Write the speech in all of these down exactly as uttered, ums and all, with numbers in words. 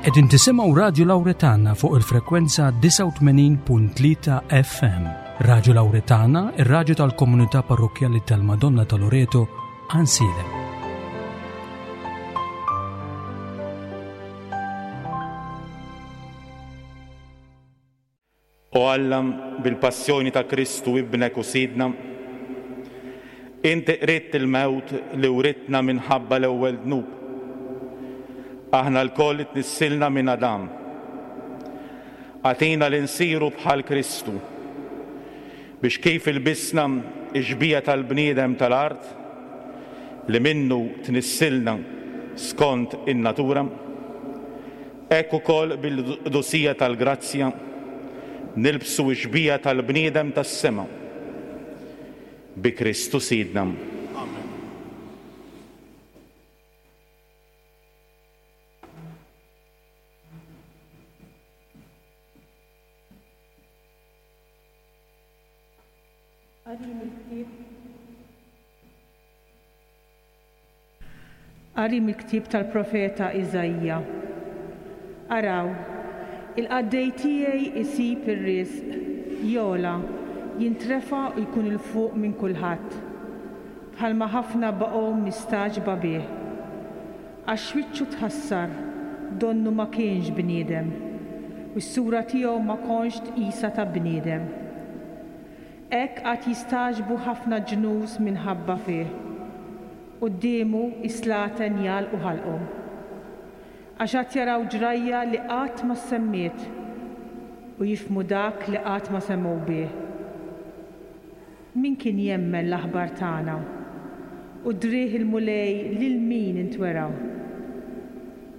Qegħdin tisimgħu Radju Lawretana fuq il-frekwenza disgħa u tmenin punt tlieta F M. Radju Lawretana, ir-radju tal-komunità parrokkjali tal-Madonna ta' Loreto, Għajnsielem. O Alla, bil-passjoni ta' Kristu ibnek u Sidna, inti qridt il-mewt li writna minħabba l-ewwel dnub. Aħna lkoll tnissilna minn Adam. Agħtina li nsiru bħal Kristu, biex kif ilbisna ix-xbieha tal-bniedem tal-art, li minnu tnissilna skont in-natura, hekk ukoll bil-qdusija tal-grazzja nilbsu ix-xbieha tal-bniedem tas-sema. Bi Kristu Sidna. Amen. Qari mill-ktieb tal-profeta Iżaija. Araw, il-qaddej tiegħi isib ir-risq, jogħla, jintrefa' u jkun 'il fuq minn kulħadd, bħalma ħafna baqgħu mistagħġba bih. Għax wiċċu tħassar, donnu ma kienx bniedem, u s-sura tiegħu ma kontx tqisha ta' bniedem. Hekk għad jistagħġbu ħafna ġnus minħabba fih. Quddiemu is-slaten jagħlqu ħalqhom. Għax għad jaraw ġrajja li qatt ma semmiet u jifhmu dak li qatt ma semgħu bih. Min kien jemmen l-aħbar tagħna u drieh il-Mulej lil min intwera?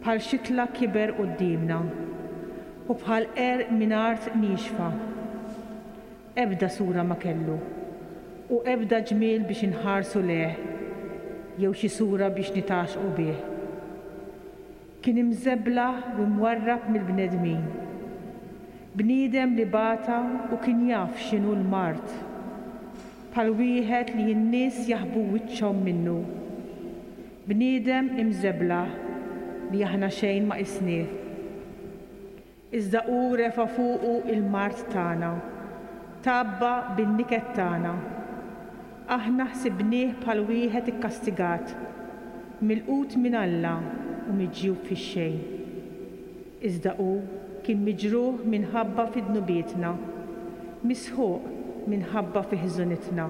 Bħal xitla kiber quddiemna u bħal għerq minn art niexfa. Ebda sura ma kellu u ebda ġmiel biex inħarsu leh jew xi sura biex nitaxqu bih. Kien imżeblaħ u mwarrab mill-bnedmin. Bniedem li bata u kien jaf x'inhu l-mard. Bħal wieħed li n-nies jaħbu wiċċhom minnu. Bniedem imżeblaħ li aħna xejn ma qisnieh. Iżda hu refa' fuqu il-mard tagħna, tgħabba bin-niket tagħna. Aħna ħsibnieh bħal wieħed ikkastigat, milqut minn Alla u miġjub fix-xejn. Iżda hu kien miġruħ minħabba fi dnubietna, misħuq minħabba fi ħżunitna.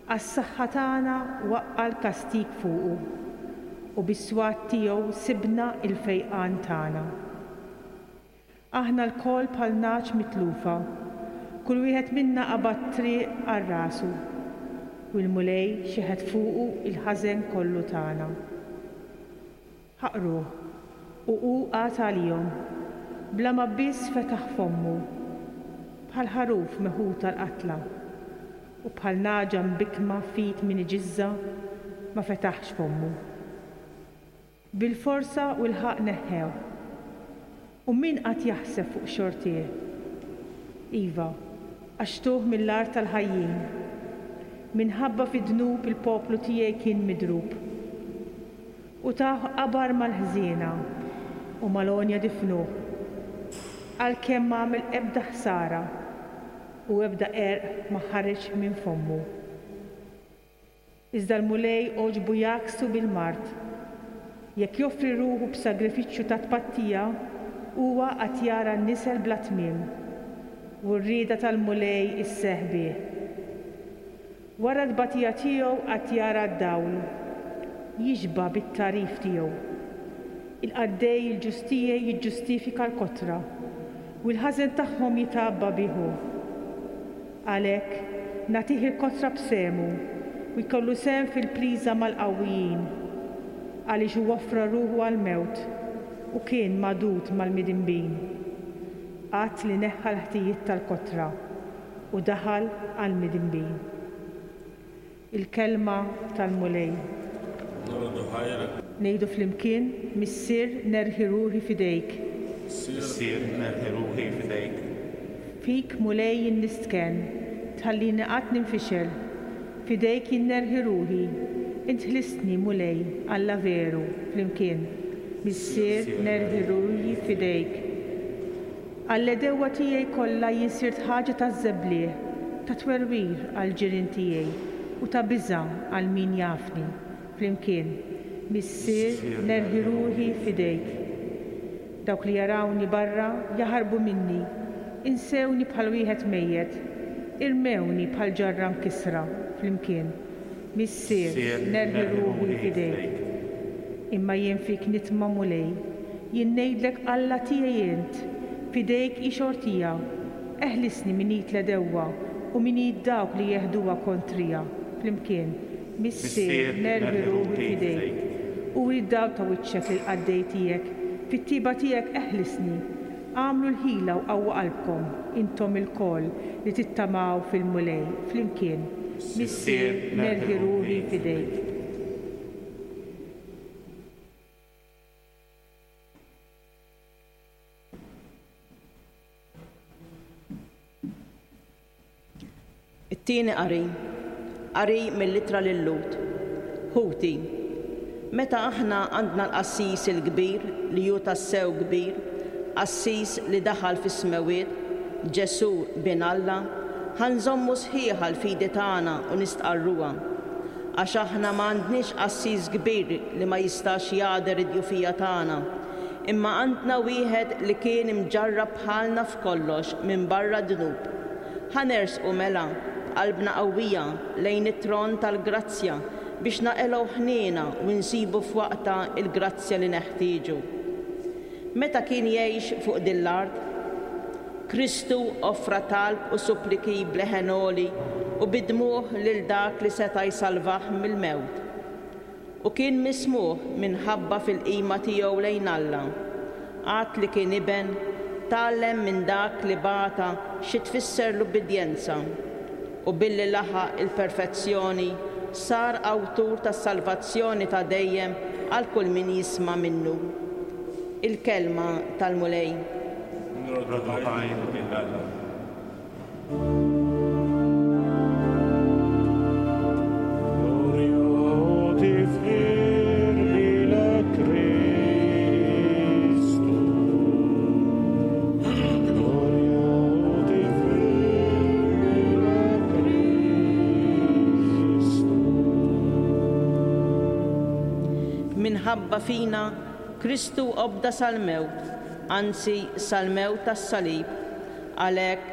Għas-saħħa tagħna waqqa' l-kastig fuqu, u bis-swat tiegħu sibna l-fejqan tagħna. Aħna lkoll bħal nagħaġ mitlufa, kull wieħed minna qabad triq għal rasu, u l-Mulej xeħet fuqu il-ħażen kollu tagħna. Ħaqruh, u hu qagħad għalihom, bla ma biss fetaħ fommu, bħal ħaruf meħud tal-qatla, u bħal nagħġa mbikma fit min iġiżża ma fetaħx fommu. Bil-forsa u l-ħaqq neħħew, u min qatt jaħseb fuq xortih? Iva, għax tuh mill-art tal-ħajjin. Minħabba fi dnub il-poplu tiegħi kien midrub. U tah qabar mal-ħżiena u mal-għonja difnuh, għalkemm ma għamel ebda ħsara u ebda qerq ma ħareġ minn fommu. Iżda l-Mulej għoġbu jgħakksu bil-mard. Jekk joffri ruħu b'sagrifiċċju ta' tpattija, huwa għad jara n-nisel bla tmiem, u r-rieda tal-Mulej isseħħ bih. Wara t-tbatija tiegħu għad jara d-dawl, jixba' bit-tagħrif tiegħu. Il-qaddej il-ġustija jiġġustifika l-kotra, u l-ħażen tagħhom jitgħabba bih hu. Għalhekk nagħtih il-kotra b'sehmu u jkollu sehem fil-priża mal-qawwijin, għaliex hu offra ruħu għall-mewt u kien magħdud mal-midinbin. Qatt li neħħa l-ħtijiet tal-kotra u daħal għall-midinbin. Il-kelma tal-Mulej. Ngħidu flimkien, Missier, nerħi ruħi f'idejk. Missier, nerħi ruħi f'idejk. Fik, Mulej, jien nistkenn, tħallini qatt ninfixel. F'idejk jien nerħi ruħi. Int ħlistni, Mulej, Alla veru, flimkien. Missier, nerħi ruħi f'idejk. Għall-għedewwa tiegħi kollha jien sirt ħaġa taż-żebliħ, ta' twerwir għall-ġirien tiegħi u ta' biża' għal min jafni. Flimkien, Missier, nerħi ruħi f'idejk. Dawk li jarawni barra jaħarbu minni, insewni bħal wieħed mejjet, irmewni bħal ġarra mkissra. Flimkien, Missier, nerħi ruħi f'idejk. Imma jien fik nitma' Mulej, jien ngħidlek Alla tiegħi int, f'idejk hi xortija, eħlisni minn id l-għedewwa u minn id dawk li jeħduha kontrija. Flimkien, Missier, nerħi ruħi f'idejk. Uri d-dawl ta' wiċċek lill-qaddej tiegħek, fit-tjieba tiegħek eħlisni. Agħmlu l-ħila u qawwu qalbkom, intom ilkoll li tittamaw fil-Mulej. Flimkien, Missier, nerħi ruħi f'idejk. It-tieni qari, qari mill-ittra lil-Lhud. Ħuti, meta aħna għandna l-qassis il-kbir li hu tassew kbir, qassis li daħal fis-smewwiet, Ġesù bin Alla, ħa nżommu sħiħa l-fidi tagħna u nistqarruha. Għax aħna ma għandniex qassis kbir li ma jistax jagħder id-djufija tagħna, imma għandna wieħed li kien imġarrab bħalna f'kollox minn barra d-dnub. Ħa nersqu mela b'qalbna qawwija lejn it-tron tal-grazzja biex naqilgħu ħniena u nsibu f'waqtha il-grazzja li neħtieġu. Meta kien jgħix fuq din l-art, Kristu offra talb u suppliki b'leħen għoli u bid-dmugħ lil dak li seta' jsalvah mill-mewt. U kien mismugħ minħabba fil-qima tiegħu lejn Alla. Għad li kien iben, tgħallem minn dak li bata xi tfisser l-ubbidjenza, u billi laħaq il-perfezzjoni sar awtur tas-salvazzjoni ta' dejjem għal kull min jisma' minnu. Il-kelma tal-Mulej. Nroddu ħajr lil Alla. Minħabba fina, Kristu obda sal-mewt, anzi sal-mewt tas-salib. Għalhekk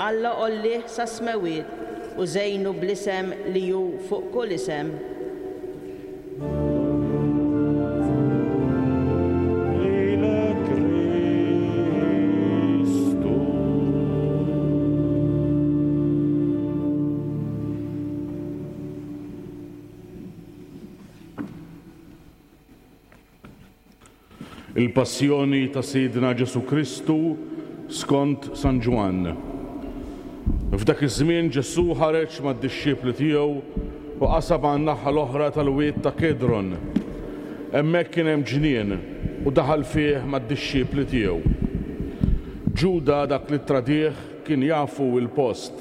Alla għollih sas-smewwiet u żejnu bl-isem li hu fuq kull isem. Lilek Kristu. Il-Passjoni ta' Sidna Ġesù Kristu skont San Ġwann. F'dak iż-żmien Ġesù ħareġ mad-dixxipli tiegħu u qasab għan-naħa l-oħra tal-wied ta' Kedron. Hemmhekk kien hemm ġnien u daħal fih mad-dixxipli tiegħu. Ġuda dak li tradih kien jafu l-post.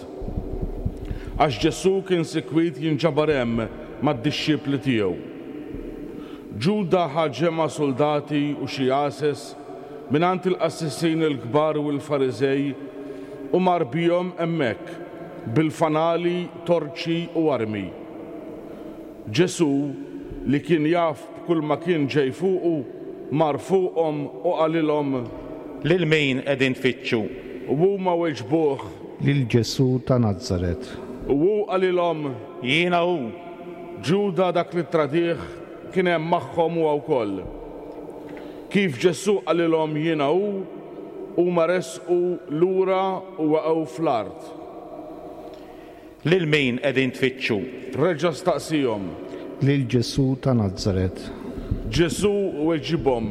Għax Ġesù kien sikwit jinġabar hemm mad-dixxipli tiegħu. Ġuda ħa ġemgħa soldati u xi għases mingħand il-qassisin il-kbar u l-Fariżej u mar bihom hemmhekk bil-fanali, torċi u armi. Ġesù, li kien jaf b'kull ma kien ġej fuqu, mar fuqhom u qalilhom: Lil min qegħdin tfittxu? U huma weġbuh: Lil Ġesù ta' Nazaret. U hu qalilhom: Jiena hu. Ġuda dak li tradih kien hemm magħhom huwa wkoll. Kif Ġesù qalilhom jiena hu, huma resqu lura u waqgħu fl-art. Lil min qegħdin tfittxu? Reġa' staqsihom: Lil Ġesù ta' Nazaret. Ġesù weġibhom: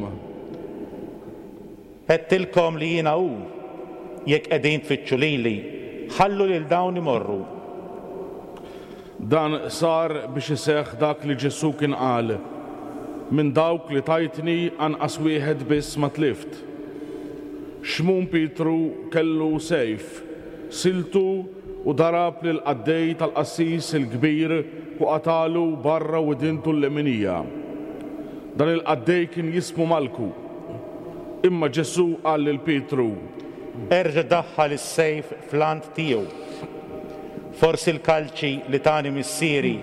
Għedtilkom li jiena hu. Jekk qegħdin tfittxu lili, ħallu lil dawn imorru. Dan sar biex iseħħ dak li Ġesù kien qal: Minn dawk li tajtni anqas wieħed biss ma tlift. Xmun Pietru kellu sejf, siltu u darab lil qaddej tal-qassis il-kbir u qatalu barra widintu l-leminija. Dan il-qaddej kien jismu Malku. Imma Ġesù qal lil Pietru, Erġa' daħħal is-sejf fl-għant tiegħu. Forsi l-kalċi li tani missieri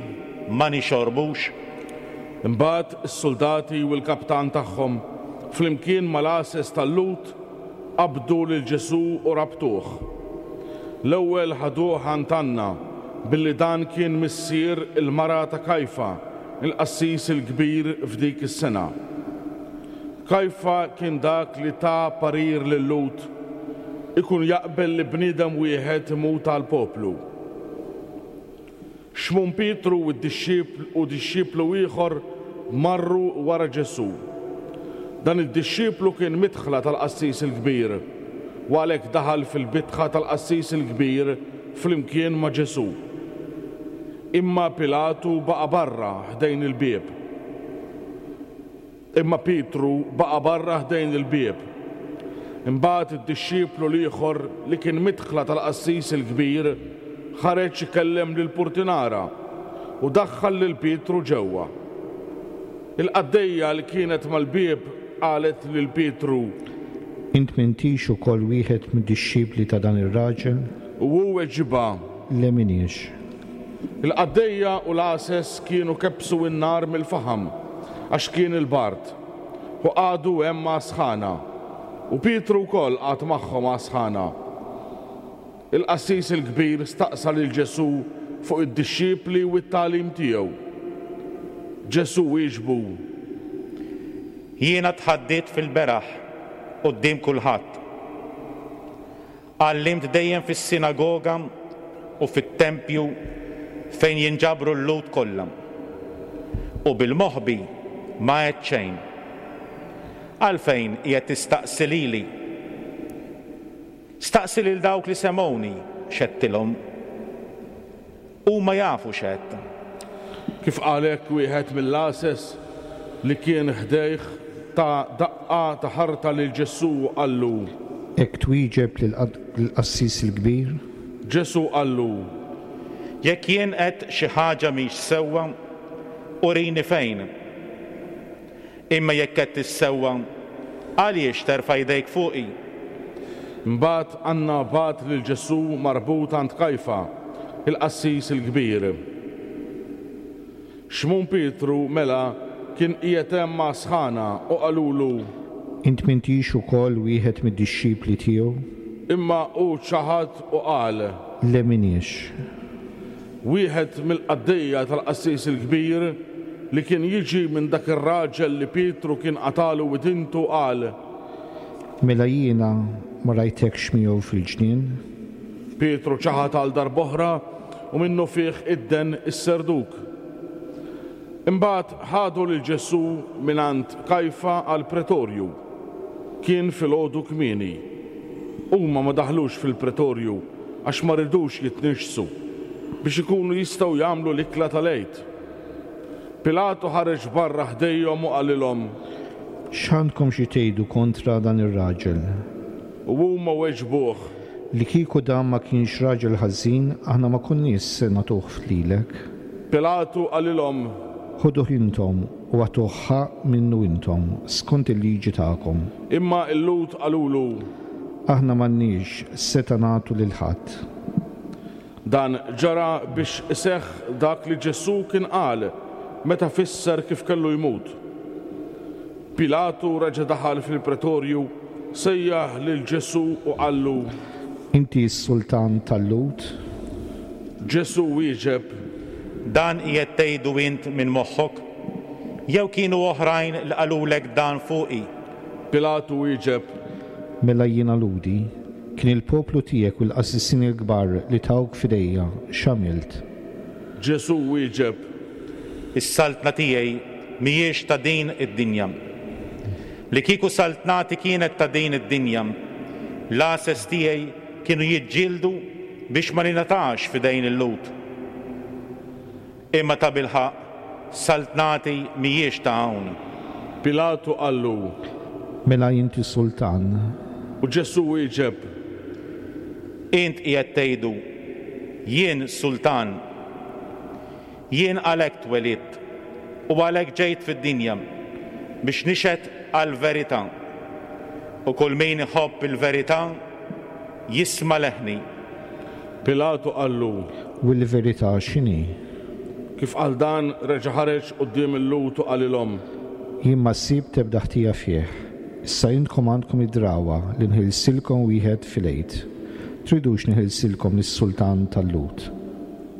ma nixorbux? Imbagħad is-suldati u l-kaptan tagħhom flimkien mal-għases tal-Lhud qabdu lil Ġesù u rabtuh. L-ewwel ħaduh għand Anna billi dan kien missier il-mara ta' Kajfa, il-qassis il-kbir f'dik is-sena. Kajfa kien dak li ta parir lil-Lhud ikun jaqbel li bniedem wieħed imut għall-poplu. Xmun Pietru u d-dixxipl u dixxiplu ieħor marru wara Ġesù. Dan id-dixxiplu kien midħla tal-qassis il-kbir u għalhekk daħal fil-bitħa tal-qassis il-kbir flimkien ma' Ġesù. Imma Pilatu baqa' barra ħdejn il-bieb. Imma Pietru baqa' barra ħdejn il-bieb. Imbagħad id-dixxiplu l-ieħor li kien midħla tal-qassis il-kbir ħareġ ikellem lill-purtinara u daħħal lil Pietru ġewwa. Il-qaddejja li kienet mal-bieb qalet lil Pietru, Int m'intix ukoll wieħed mid-dixxipli ta' dan ir-raġel? U hu weġibha, Le m'iniex. Il-qaddejja u l-għases kienu kebbsu n-nar mill-faħam għax kien il-bard, u qagħdu hemm għas-sħana. U Pietru wkoll qagħad magħhom għas-sħana. Il-qassis il-kbir staqsa lil Ġesù fuq id-dixxipli u t-tagħlim tiegħu. Ġesù wieġbu, Jiena tħaddidt fil-beraħ quddiem kulħadd. Għallimt dejjem fis-sinagoga u fit-tempju fejn jinġabru l-Lhud kollha. U bil-moħbi ma għedt xejn. Għalfejn qiegħed tistaqsi lili? Staqsi lil dawk li semgħuni x'għedtilhom. Huma jafu x'għedt. Kif qal hekk wieħed mill-għases li kien ħdejh ta daqqa ta' ħarta lil Ġesù u qallu, Hekk twieġeb lill-qassis il-kbir? Ġesù qallu, Jekk jien għedt xi ħaġa mhix sewwa, urini fejn. Imma jekk għedt is-sewwa, għaliex terfa' jdejk fuqi? Imbagħad Anna bagħat lil Ġesù marbut għand Kajfa, il-qassis il-kbir. Xmun Pietru mela kien qiegħed hemm għas-sħana u qalulu, Int m'intix ukoll wieħed mid-dixxipli tiegħu? Imma hu ċaħad u qal, Le m'iniex. Wieħed mill-qaddejja tal-qassis il-kbir li kien jiġi minn dak ir-raġel li Pietru kien qatagħlu widintu qal, Mela jiena ma rajtekx miegħu fil-ġnien? Pietru ċaħad għal darb'oħra u minnufih idden is-serduk. Imbagħad ħadu lil Ġesù mingħand Kajfa għall-pretorju. Kien filgħodu kmieni. Huma ma daħlux fil-pretorju għax ma ridux jitniġġsu biex ikunu jistgħu jagħmlu l-ikla tal-Għid. Pilatu ħareġ barra ħdejhom u qalilhom, X'għandkom xi tgħidu kontra dan ir-raġel? U huma weġbuh, Li kieku dan ma kienx raġel ħażin, aħna ma konniex se nagħtuh lilek. Pilatu qalilhom, Ħuduh intom u agħtuh ħaqq minnu intom, skont il-liġi tagħkom. Imma l-Lhud qalulu, Aħna m'għandniex setgħa nagħtu lil ħadd. Dan ġara biex iseħħ dak li Ġesù kien qal meta fisser kif kellu jmut. Pilatu reġa' daħal fil-pretorju, sejjaħ lil Ġesù u qallu, Inti s-sultan tal-Lhud? Ġesù wieġeb, Dan qiegħed tgħidu int minn moħħok? Jew kienu oħrajn li qalulek dan fuqi? Pilatu wieġeb, Mela jiena Lhudi, kien il-poplu tiegħek u l-qassisin il-kbar li tawk f'idejja, x'għamilt? Ġesù wieġeb, Is-saltna tiegħi mhijiex ta' din id-dinja. Li kieku saltnati kienet ta' din id-dinja, l-għases tiegħi kienu jiġġieldu biex ma ningħatax f'idejn il-Lhud. Imma tabilħaqq saltnati mhijiex ta' hawn. Pilatu qallu, Mela inti sultan? U Ġesù wieġeb, Int qiegħed tgħidu, jien sultan. Jien għalhekk twelidt u għalhekk ġejt fid-dinja biex nixhed għall-verità. U kull min iħobb il-verità jisma' leħni. Pilatu qallu, U l-verità x'inhi? Kif qal dan, reġa' ħareġ quddiem il-Lhud u qalilhom, Jien ma sibt ebda ħtija fih. Issa intkom għandkom id-drawwa li nħilsilkom wieħed fil-Għid. Tridux neħilsilkom lis-sultan tal-Lhud?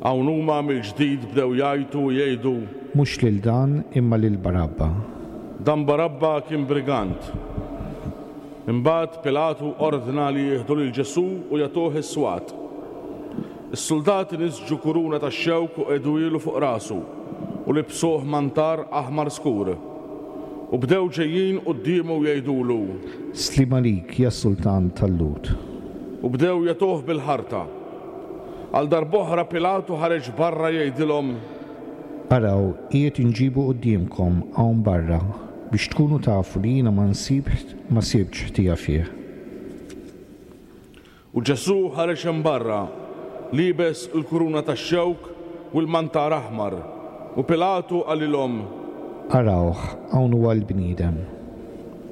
Hawn huma mill-ġdid bdew jgħajtu u jgħidu, Mhux lil dan, imma lil Barabba. Dan Barabba kien brigant. Imbagħad Pilatu ordna li jieħdu lil Ġesù u jagħtuh is-swat. Is-suldati nisġu kuruna tax-xewk u qegħduhielu fuq rasu u libsuh mantar aħmar skur. U bdew ġejjin quddiemu jgħidulu, Sliem għalik, ja sultan tal-Lhud. U bdew jagħtuh bil-ħarta. Għal darb'oħra Pilatu ħareġ barra jgħidilhom, Araw, qiegħed inġibu quddiemkom hawn barra biex tkunu tafu li jiena ma nsib ma sibtx ħtija fih. U Ġesù ħareġ hemm barra, liebes il-kuruna tax-xewk u l-mantar aħmar. U Pilatu qalilhom, Arawh, hawn huwa l-bniedem.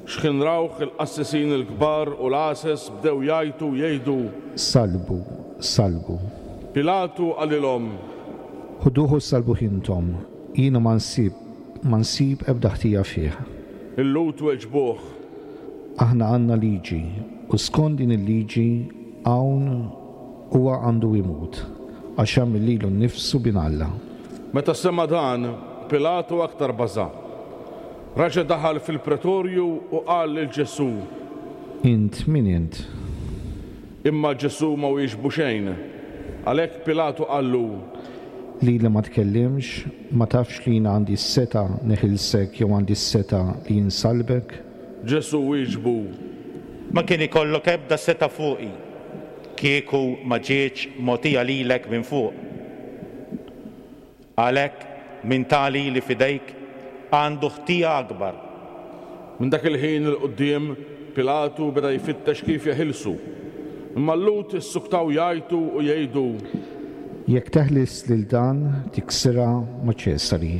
X'ħin rawh il-qassisin il-kbar u l-għases bdew jgħajtu u jgħidu, Sallbu, sallbu. Pilatu qalilhom, Ħuduh u sallbuh intom, jiena ma nsib ma nsib ebda ħtija fih. Il-Lhud weġbuh, Aħna għandna liġi, u skont din il-liġi hawn huwa għandu jmut, għax għamel lilu nnifsu bin Alla. Meta sema dan, Pilatu aktar baża'. Raġa' daħal fil-pretorju u qal lil Ġesù, Int min int? Imma Ġesù ma wieġbu xejn. Għalhekk Pilatu qallu, Lili ma tkellimx, ma tafx li jiena għandi s-setgħa neħilsek jew għandi s-setgħa li insallbek? Ġesù wieġbu, Ma kien ikollok ebda setgħa fuqi, kieku ma ġietx mogħtija lilek minn fuq. Għalhekk min ta lili f'idejk għandu ħtija akbar. Minn dak il-ħin 'il quddiem Pilatu beda jfittex kif jeħilsu. Imma l-Lhud issuktaw jgħajtu u jgħidu, Jekk teħles lil dan tiksirha ma' Ċesari,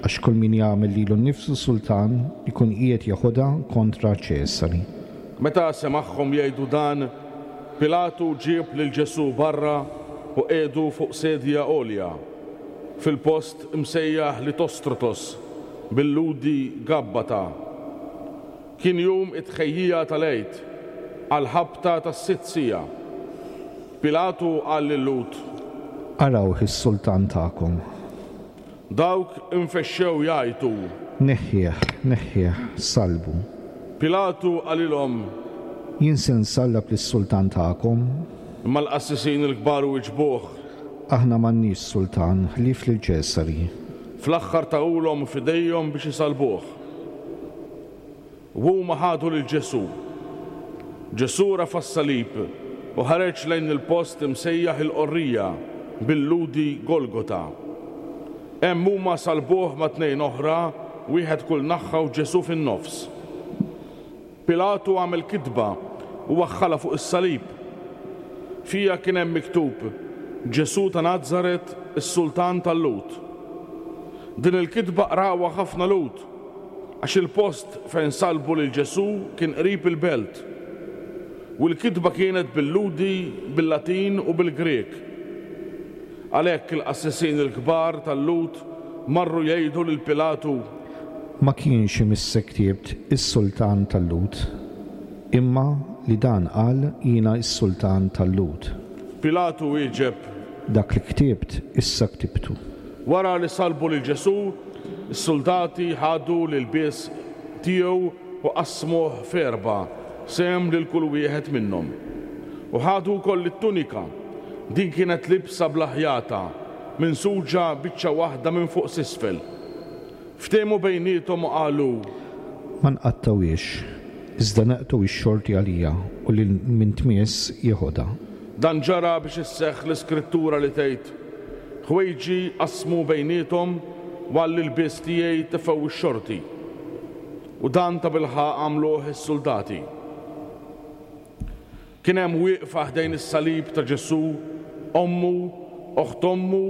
għax kull min jagħmel lilu nnifsu sultan ikun qiegħed jeħodha kontra Ċesari. Meta semagħhom jgħidu dan, Pilatu ġieb lil Ġesù barra u qiegħdu fuq sedja għolja, fil-post imsejjaħ Litostrotos, bil-Lhudi Gabbata. Kien jum it-tħejjija tal-Għid, għal-ħabta tas-sitt siegħa. Pilatu qal lil-Lhud, Arawh is-sultan tagħkom. Dawk infexxew jgħajtu. Neħħih, neħħih, sallbu. Pilatu qalilhom, Jien se nsallab lis-sultan tagħkom. Imma l-qassisin il-kbar wiġbuh, Aħna m'għandniex sultan ħlief lil Ċesari. Fl-aħħar tahulhom f'idejhom biex isalbuh. U huma ħadu lil Ġesù. Ġesù rafa' s-salib u ħareġ lejn il-post imsejjaħ il-Qorrija, bil-Lhudi Golgota. Hemm huma salbuh ma' tnejn oħra, wieħed kull naħa u Ġesù fin-nofs. Pilatu għamel kitba u waħħalha fuq is-salib. Fiha kien hemm miktub Ġesù ta' Nazaret, is-sultan tal-Lhud. Din il-kitba qrawha ħafna Lhud, għax il-post fejn salbu lil Ġesù kien qrib il-belt. U l-kitba kienet bil-Lhudi, bil-Latin u bil-Grek. Għalhekk il-qassisin il-kbar tal-Lhud marru jgħidu lil Pilatu, Ma kienx imissek ktibt is-sultan tal-Lhud, imma li dan qal jiena s-sultan tal-Lhud. Pilatu wieġeb, Dak li ktibt issa ktibtu. Wara li salbu lil Ġesù, is-soldati ħadu l-ilbies tiegħu u qasmuh f'erba', sehem lil kull wieħed minnhom. U ħadu wkoll it-tunika. Din kienet libsa bla ħjata, minsuġa biċċa waħda minn fuq s'isfel. Ftehmu bejniethom u qalu, Ma nqattgħuhiex, iżda naqtgħu x-xorti għaliha u lil min tmiss jeħodha. Dan ġara biex isseħħ l-iskrittura li tgħid, Ħwejġi qasmu bejniethom u għall-ilbies tiegħi tefgħu x-xorti. U dan tabilħaqq għamluh is-soldati. Kien hemm wieqfa ħdejn is-salib ta' Ġesù, ommu, oħt ommu,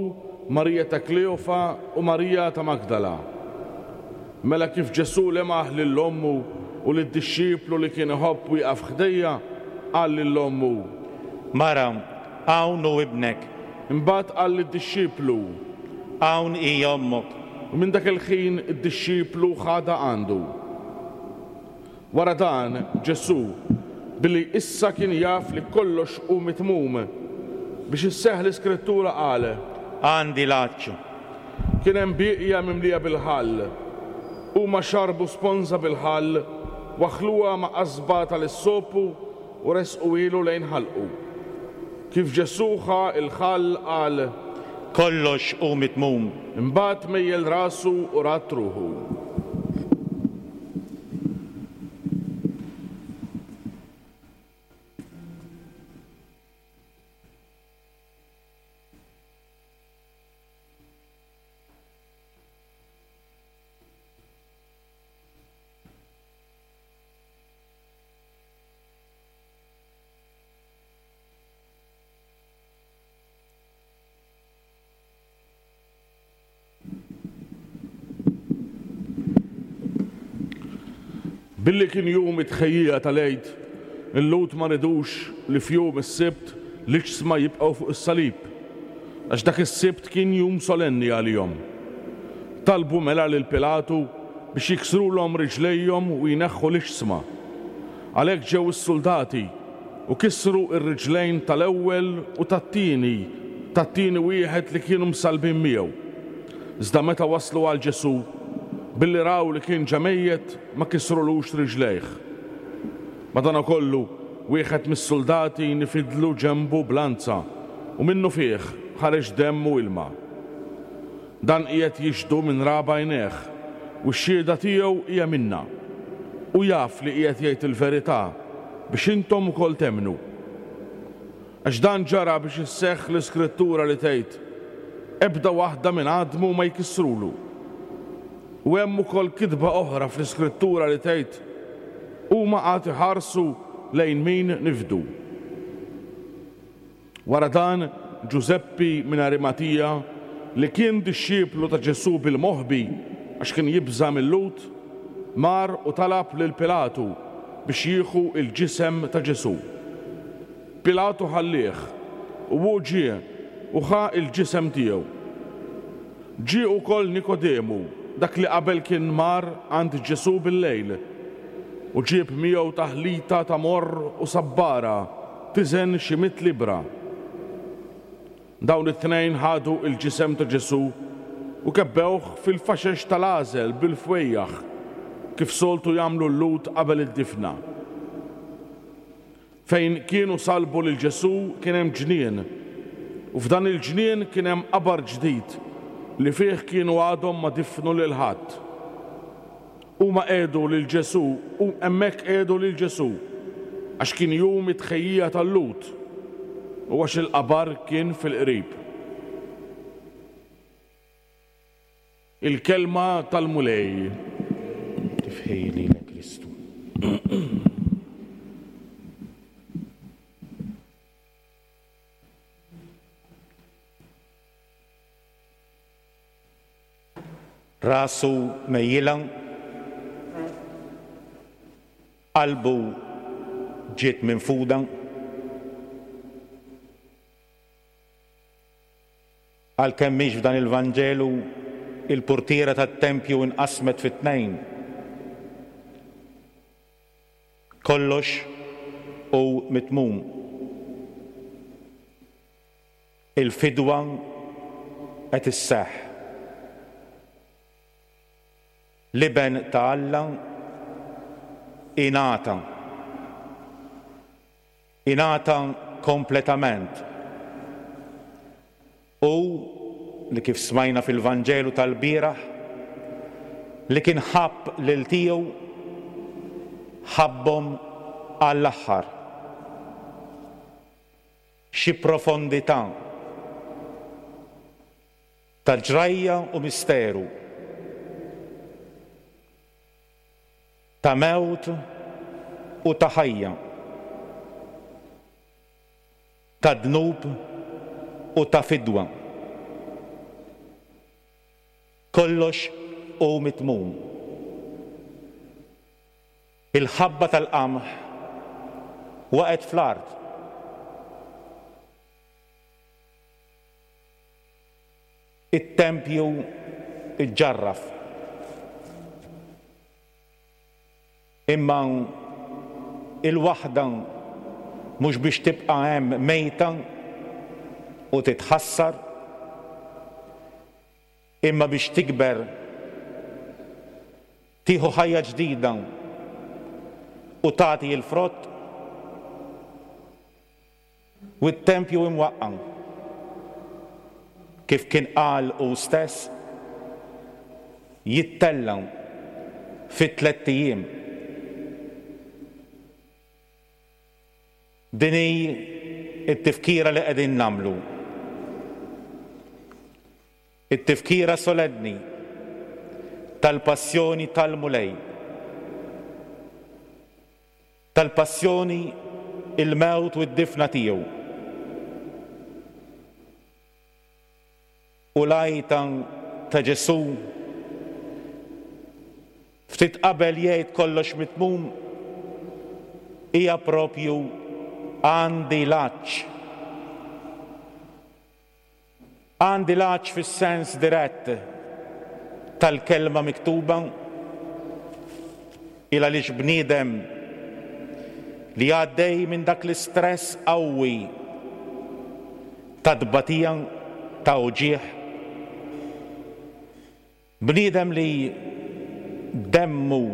Marija ta' Kleofa u Marija ta' Magdala. Mela kif Ġesù lemaħ lil ommu u lid-dixxiplu li kien iħobb wieqaf ħdejha, qal lil ommu, Mara, hawn hu ibnek. Imbagħad qal lid-dixxiplu, Hawn hi ommok. U minn dak il-ħin id-dixxiplu ħadha għandu. Wara dan, Ġesù, billi issa kien jaf li kollox hu mitmum, biex isseħħ l-Iskrittura qal, Għandi l-għatx. Kien hemm bieqja mimlija bil-ħall. Huma xarbu sponża bil-ħall, waħħluha ma' qasba tal-issopu u resquhielu lejn ħalqu. Kif Ġesù ħa l-ħall qal, Kollox hu mitmum. Imbagħad mejjel rasu u radd ruħu. Billi kien jum it-tħejjija tal-Għid, il-Lhud ma ridux li f'jum is-Sibt l-iġsma jibqgħu fuq is-salib, għax dak is-Sibt kien jum solenni għalihom. Talbu mela lil Pilatu biex jiksrulhom riġlejhom u jneħħu l-iġsma. Għalhekk ġew is-suldati u kisru r-riġlejn tal-ewwel u tat-tieni, tat-tieni wieħed li kienu msallbin miegħu. Iżda meta waslu għal Ġesù, billi raw li kien ġa mejjet, ma kisrulux riġlejh. Madankollu, wieħed mis-suldati nifidlu ġenbu b'lanza u minnufih ħareġ demm u ilma. Dan qiegħed jixhdu minn ra b'għajnejh u x-xhieda tiegħu hija minnha. U jaf li qiegħed jgħid il-verità biex intom ukoll temmnu. Għax dan ġara biex isseħħ l-Iskrittura li tgħid, Ebda waħda minn għadmu ma jkissrulu. U hemm ukoll kitba oħra fl-Iskrittura li tgħid, Huma għad iħarsu lejn min nifdu. Wara dan, Ġużeppi minn Arimatija, li kien dixxiplu ta' Ġesù bil-moħbi għax kien jibża' mil-Lhud, mar u talab lil Pilatu biex jieħu l-ġisem ta' Ġesù. Pilatu ħallieh, u hu ġie u ħa l-ġisem tiegħu. Ġie ukoll Nikodemu, dak li qabel kien mar għand Ġesù bil-lejl, u ġieb miegħu taħlita ta' morr u sabbara tiżen xi mitt libra. Dawn it-tnejn ħadu l-ġisem ta' Ġesù u kebbewh fil-faxex tal-għażel bil-fwejjaħ, kif soltu jagħmlu l-Lhud qabel id-difna. Fejn kienu salbu lil Ġesù kien hemm ġnien, u f'dan il-ġnien kien hemm qabar ġdid li fih kienu għadhom ma difnu lil ħadd. Huma qiegħdu lil Ġesù u hemmhekk qiegħdu lil Ġesù, għax kien jum it-tħejjija tal-Lhud u għax il-qabar kien fil-qrib. Il-kelma tal-Mulej. Tifħir lilek Kristu. Rasu mejjila, qalbu ġiet minfuda, għalkemm mhix f'dan il-Vanġelu il-purtiera tat-tempju inqasmet fi tnejn. Kollox hu mitmum. Il-fidwa qed isseħħ. L-Iben ta' Alla ingħata. Ingħata kompletament. U li kif smajna fil-Vanġelu tal-bieraħ, li kien ħabb lil tiegħu, ħabbhom għall-aħħar. Xi profondità ta' ġrajja u misteru, ta' mewt u ta' ħajja, ta' dnub u ta' fidwa. Kollox hu mitmum. Il-ħabba tal-qamħ waqgħet fl-art. It-tempju iġġarraf. Imma il-waħda mhux biex tibqa' hemm mejta u titħassar, imma biex tikber, tieħu ħajja ġdida u tagħti l-frott. U t-tempju imwaqqa', kif kien qal hu stess, jittella' fi tlett ijiem. Din hi t-tifkira li qegħdin nagħmlu. It-tifkira solenni tal-passjoni tal-Mulej. Tal-passjoni, il-mewt u d-difna tiegħu. U l-għajta ta' Ġesù ftit qabel jgħid kollox mitmum hija propju għandi l-għatx. Għandi l-għatx fis-sens dirett tal-kelma miktuba, il għaliex bniedem li għaddej minn dak l-istress qawwi ta' tbatija, ta' uġigħ, bniedem li demmu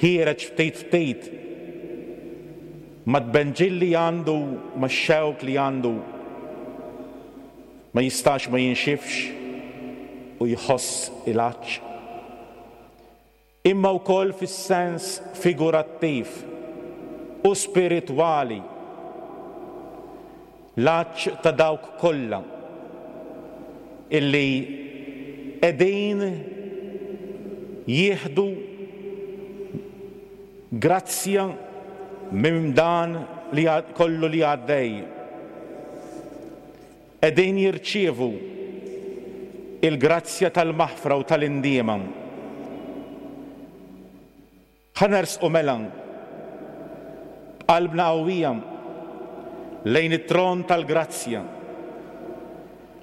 ħiereġ ftit ftit ma tbenġil li għandu, ma xewk li għandu, ma jistax ma jinxifx u jħoss il-għatx. Imma wkoll fis-sens figurattiv u spiritwali, l-għatx ta' dawk kollha illi qegħdin jieħdu grazzja minn dan li kollu li għaddej. Qegħdin jirċievu il-grazzja tal-maħfra u tal-indiema. Ħa nersqu mela b'qalbna qawwija lejn it-tron tal-grazzja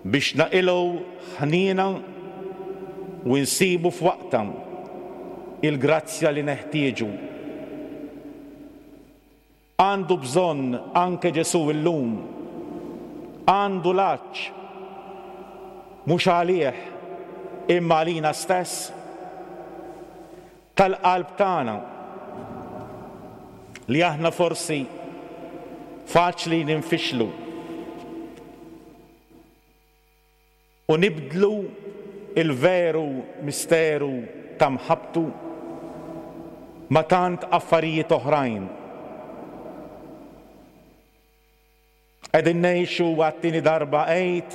biex naqilgħu ħniena u nsibu f'waqtha il-grazzja li neħtieġu. Għandu bżonn anke Ġesù illum, għandu l-għatx, mhux għalih imma għalina stess, tal-qalb tagħna li aħna forsi faċli ninfixlu u nibdlu il-veru misteru ta' mħabbtu ma' tant affarijiet oħrajn. Qegħdin ngħixu għat-tieni darba Għid,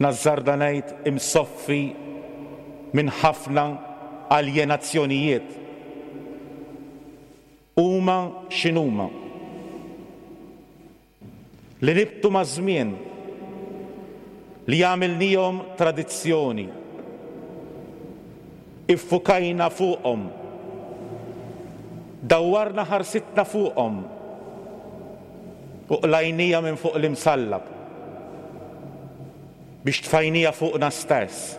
nażżarda ngħid imsoffi minn ħafna aljenazzjonijiet. Huma x'inhuma? Li nibtu maż-żmien, li għamilnihom tradizzjoni, iffukajna fuqhom, dawwarna ħarsitna fuqhom u qlajnija minn fuq l-imsallab biex tfajnija fuqna stess.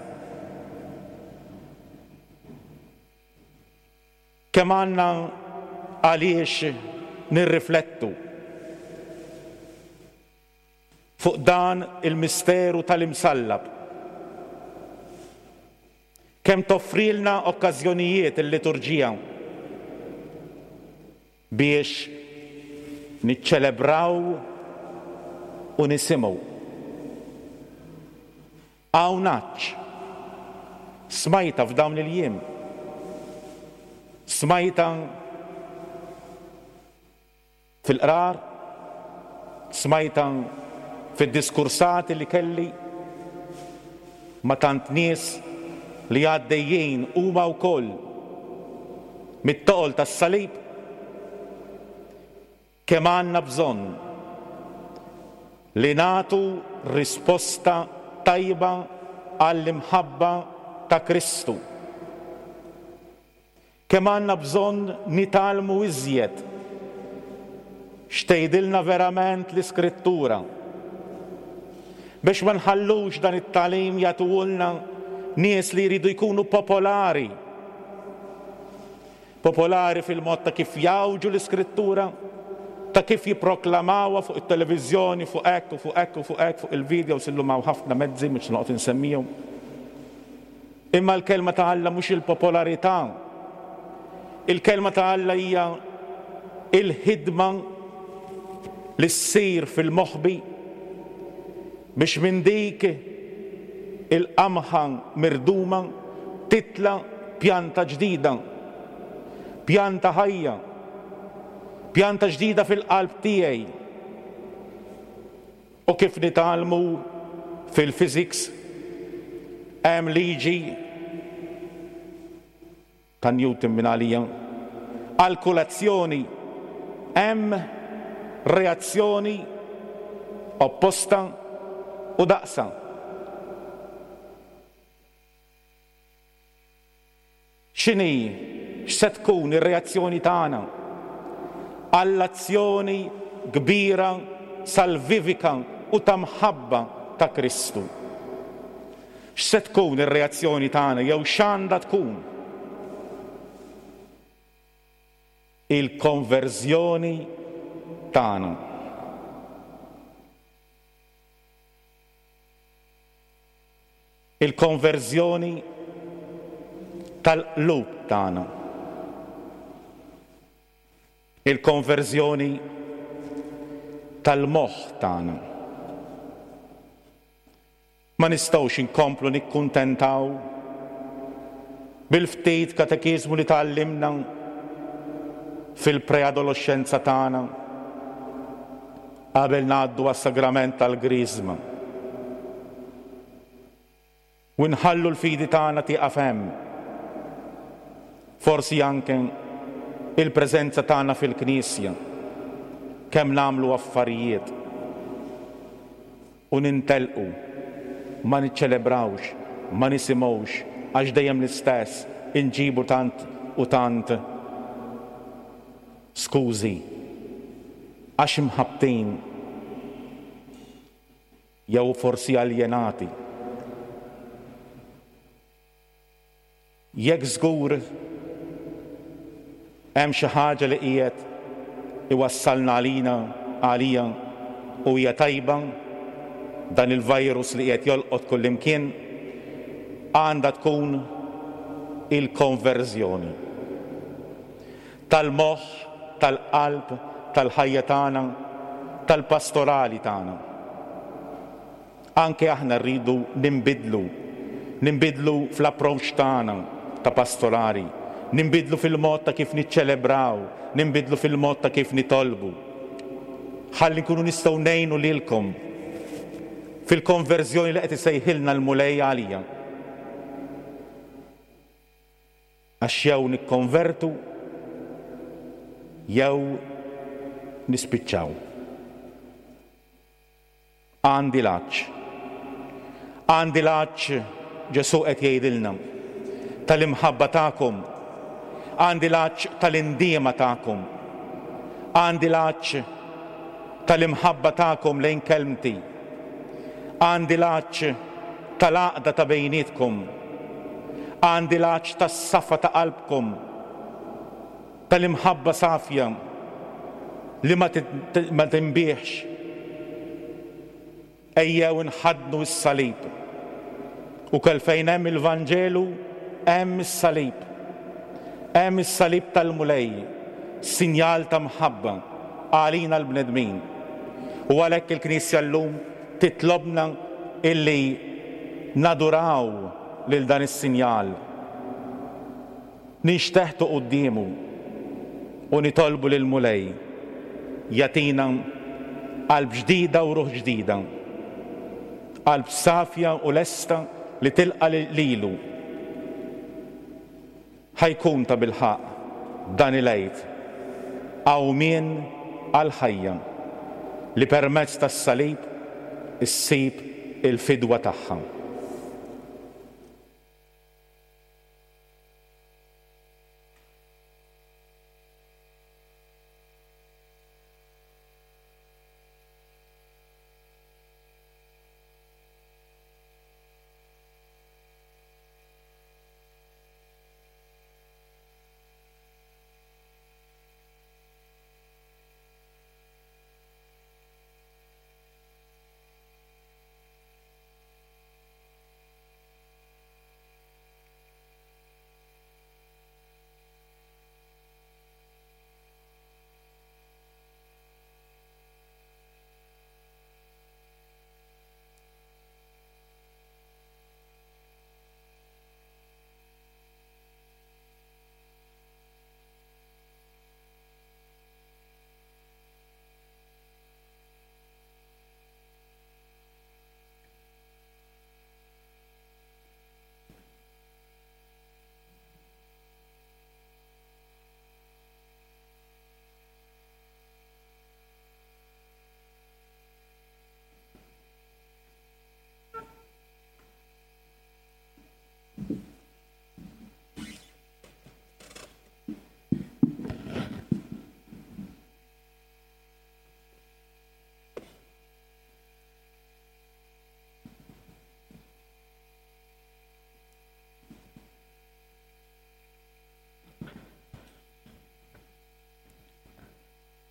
Kemm għandna għaliex nirriflettu fuq dan il-misteru tal-imsallab. Kemm toffrilna okkażjonijiet il-liturġija biex niċċelebraw u nisimgħu. Hawn għatx. Smajta f'dawn il-jiem. Smajta fil-qrar, smajta fid-diskursati li kelli ma' tant nies li għaddejjin huma wkoll mit-toqol tas-salib. Kemm għandna bżonn li nagħtu risposta tajba għall-imħabba ta' Kristu. Kemm għandna bżonn nitgħallmu iżjed x'tgħidilna verament l-Iskrittura biex ma nħallux dan it-tagħlim jagħtuhulna nies li jridu jkunu popolari. Popolari fil-mod ta' kif jgħawġu l-Iskrittura, ta' kif jipproklamawha fuq it-televiżjoni, fuq hekk u fuq hekk u fuq hekk, fuq il-videos illum hawn ħafna mezzi mhux noqgħod insemmihom. Imma l-kelma ta' Alla mhux il-popolarità. Il-kelma ta' Alla hija il-ħidma li ssir fil-moħbi biex minn dik il-qamħa mirduma titla' pjanta ġdida, pjanta ħajja, pjanta ġdida fil-qalb tiegħi. U kif nitgħallmu fil-physics hemm liġi ta' Newton minn għalija. Għal kull azzjoni hemm reazzjoni opposta u daqsa. X'inhi, x'se tkun ir-reazzjoni tagħna għall-azzjoni kbira salvivika u ta' mħabba ta' Kristu? X'se tkun ir-reazzjoni tagħna jew x'għandha tkun? Il-konverżjoni tagħna. Il-konverżjoni tal-qlub tagħna. Il-konverżjoni tal-moħħ tagħna. Ma nistgħux inkomplu nikkuntentaw bil-ftit katekiżmu li tgħallimna fil-preadolescenza tagħna qabel ngħaddu għas-sagrament tal-Griżma. U nħallu l-fidi tagħna tieqaf hemm. Forsi anke il-preżenza tagħna fil-Knisja, kemm nagħmlu affarijiet u nintelqu, ma niċċelebrawx, ma nisimgħux, għax dejjem l-istess inġibu tant u tant skużi għax imħabbtin jew forsi aljenati. Jekk żgur hemm xi ħaġa li qiegħed iwassalna għalina għalija u hija tajba, dan il-virus li qiegħed jolqot kullimkien, għandha tkun il-konverżjoni tal-moħħ, tal-qalb, tal-ħajja tagħna, tal-pastorali tagħna. Anke aħna rridu ninbidlu, ninbidlu fl-approach tagħna ta' pastorali, ninbidlu fil-mod ta' kif niċċelebraw, ninbidlu fil-mod ta' kif nitolbu. Ħalli nkunu nistgħu ngħinu lilkom fil-konverżjoni li qed isejħilna l-Mulej għalija. Għax jew nikkonvertu jew nispiċċaw. Għandi l-għatx. Għandi l-għatx, Ġesù qed jgħidilna, tal-imħabba tagħkom. Għandi l-għatx tal-indiema tagħkom. Għandi l-għatx tal-imħabba tagħkom lejn kelmti. Għandi l-għatx tal-għaqda ta' bejnietkom. Għandi l-għatx tas-safa ta' qalbkom, tal-imħabba safja li ma tinbieħx. Ejjew inħaddnu s-salib. U kell fejn hemm il-Vanġelu hemm is-salib. Hemm is-salib tal-Mulej, sinjal ta' mħabba għalina l-bnedmin. U għalhekk il-Knisja llum titlobna illi naduraw lil dan is-sinjal. Ninxteħtu quddiemu u nitolbu lil Mulej jagħtina qalb ġdida u ruħ ġdida, qalb safja u lesta li tilqa lilu. Ħajkun ta' bilħaqq dan il-Għid qawmien għall-ħajja li permezz tas-salib issib il-fidwa tagħha.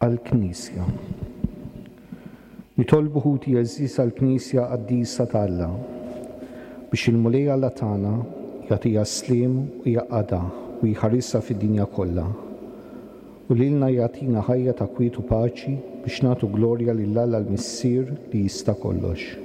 Għall-Knisja. Nitolbu ħuti għeżież għall-Knisja qaddisa ta' Alla, biex il-Mulej Alla tagħna jagħtiha s-sliem u jgħaqqadha u jħarisha fid-dinja kollha, u lilna jagħtina ħajja ta' kwiet u paċi biex nagħtu glorja lil Alla l-Missier li jista' kollox.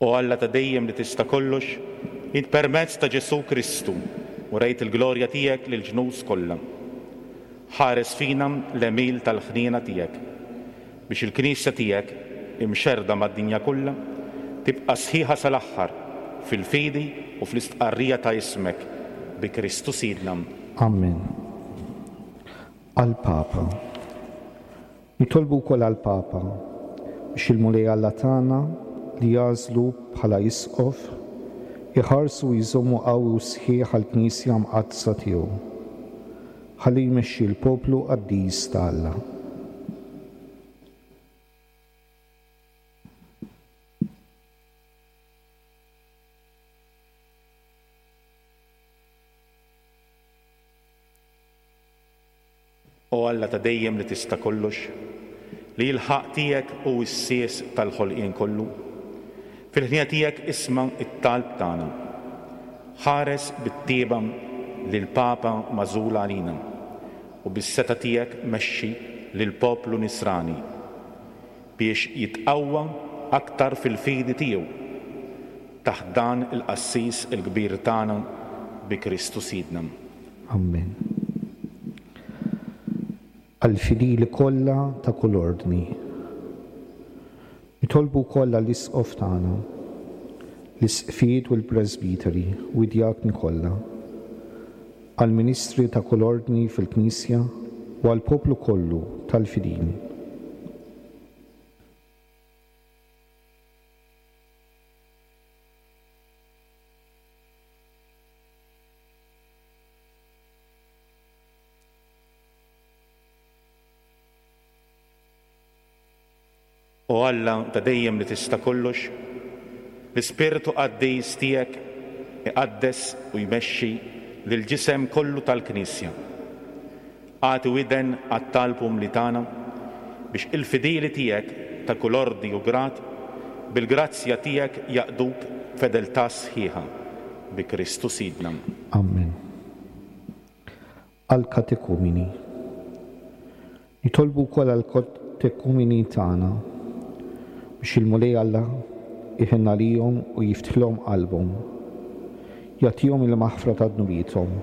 O Alla ta' dejjem li tista' kollox, int permezz ta' Ġesù Kristu urejt il-glorja tiegħek lill-ġnus kollha. Ħares fina l-għemil tal-ħniena tiegħek, biex il-Knisja tiegħek, imxerrda mad-dinja kollha, tibqa' sħiħa sal-aħħar fil-fidi u fl-istqarrija ta' ismek, bi Kristu Sidna. Amen. Għall-Papa. Nitolbu wkoll għall-Papa biex il-Mulej Alla tagħna li jagħżlu bħala isqof iħarsu u jżommu qawwi u sħiħ għall-Knisja mqaddsa tiegħu, ħalli jmexxi l-poplu qaddis ta' Alla. O Alla ta' dejjem li tista' kollox, li l-ħaqq tiegħek hu s-sies tal-ħolqien kollu, fil-ħniena tiegħek isma' t-talb tagħna. Ħares bit-tieba lill-Papa magħżul għalina u bis-seta tiegħek mexxi lill-poplu nisrani biex jitqawwa aktar fil-fidi tiegħu taħt dan il-qassis il-kbir tagħna bi Kristu Sidna. Amen. Għall-fidili kollha ta' kull ordni. Nitolbu wkoll għall-isqof tagħna, l-isqfijiet u l-presbiteri u d-djakni kollha, għall-ministri ta' kull ordni fil-Knisja u għall-poplu kollu tal-fidili. O Alla ta' dejjem li tista' kollox, l-Ispirtu qaddis tiegħek iqaddes u jmexxi lill-ġisem kollu tal-Knisja. Agħti widen għat-talb umli tagħna biex il-fidili tiegħek ta' kull ordni u grad bil-grazzja tiegħek jaqduk b'fedeltà sħiħa bi Kristu Sidna. Amen. Għall-katekumeni. Nitolbu wkoll għall-katekumeni tagħna biex il-Mulej Alla iħenn għalihom u jiftħilhom qalbhom, jagħtihom il-maħfra ta' dnubiethom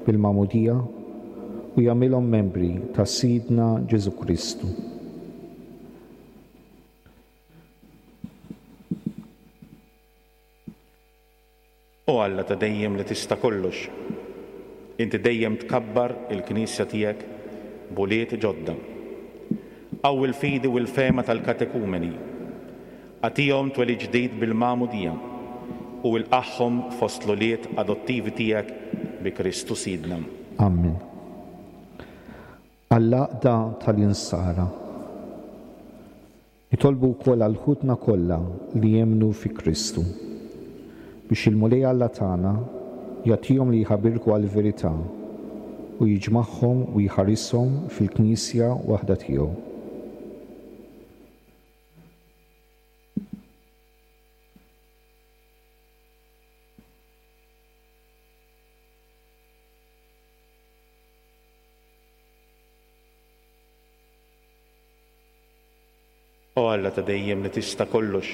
bil-magħmudija u jagħmilhom membri ta' Sidna Ġesù Kristu. O Alla ta' dejjem li tista' kollox, inti dejjem tkabbar il-Knisja tiegħek b'ulied ġodda. Qawwi l-fidi u l-fehma tal-katekumeni, agħtihom twelid ġdid bil-magħmudija u ilqagħhom fost l-ulied adottivi tiegħek bi Kristu Sidna. Amen. Għall-għaqda tal-insara. Nitolbu wkoll għal ħutna kollha li jemmnu fi Kristu, biex il-Mulej Alla tagħna jagħtihom li jħabirku għall-verità u jiġmagħhom u jħarishom fil-Knisja waħda tiegħu. O Alla ta' dejjem li tista' kollox,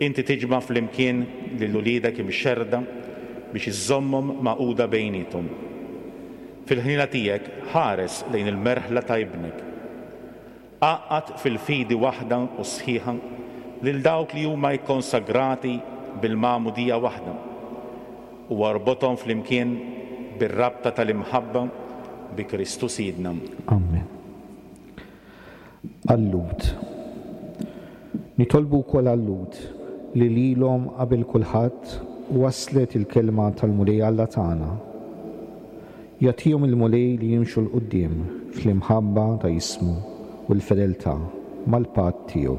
inti tiġma' flimkien lil uliedek imxerrda biex iżżommhom magħquda bejniethom. Fil-ħniena tiegħek ħares lejn il-merħla ta' ibnek. Għaqqad fil-fidi waħda u sħiħa lil dawk li huma jikkonsagrati bil-magħmudija waħda u arbothom flimkien bir-rabta tal-imħabba bi Kristu Sidna. Amen. Għal-Lhud. Nitolbu wkoll għal-Lhud li lilhom qabel kulħadd waslet il-kelma tal-Mulej Alla tagħna. Jagħtihom il-Mulej li jimxu 'l quddiem fl-imħabba ta' ismu u l-fedeltà mal-patt tiegħu.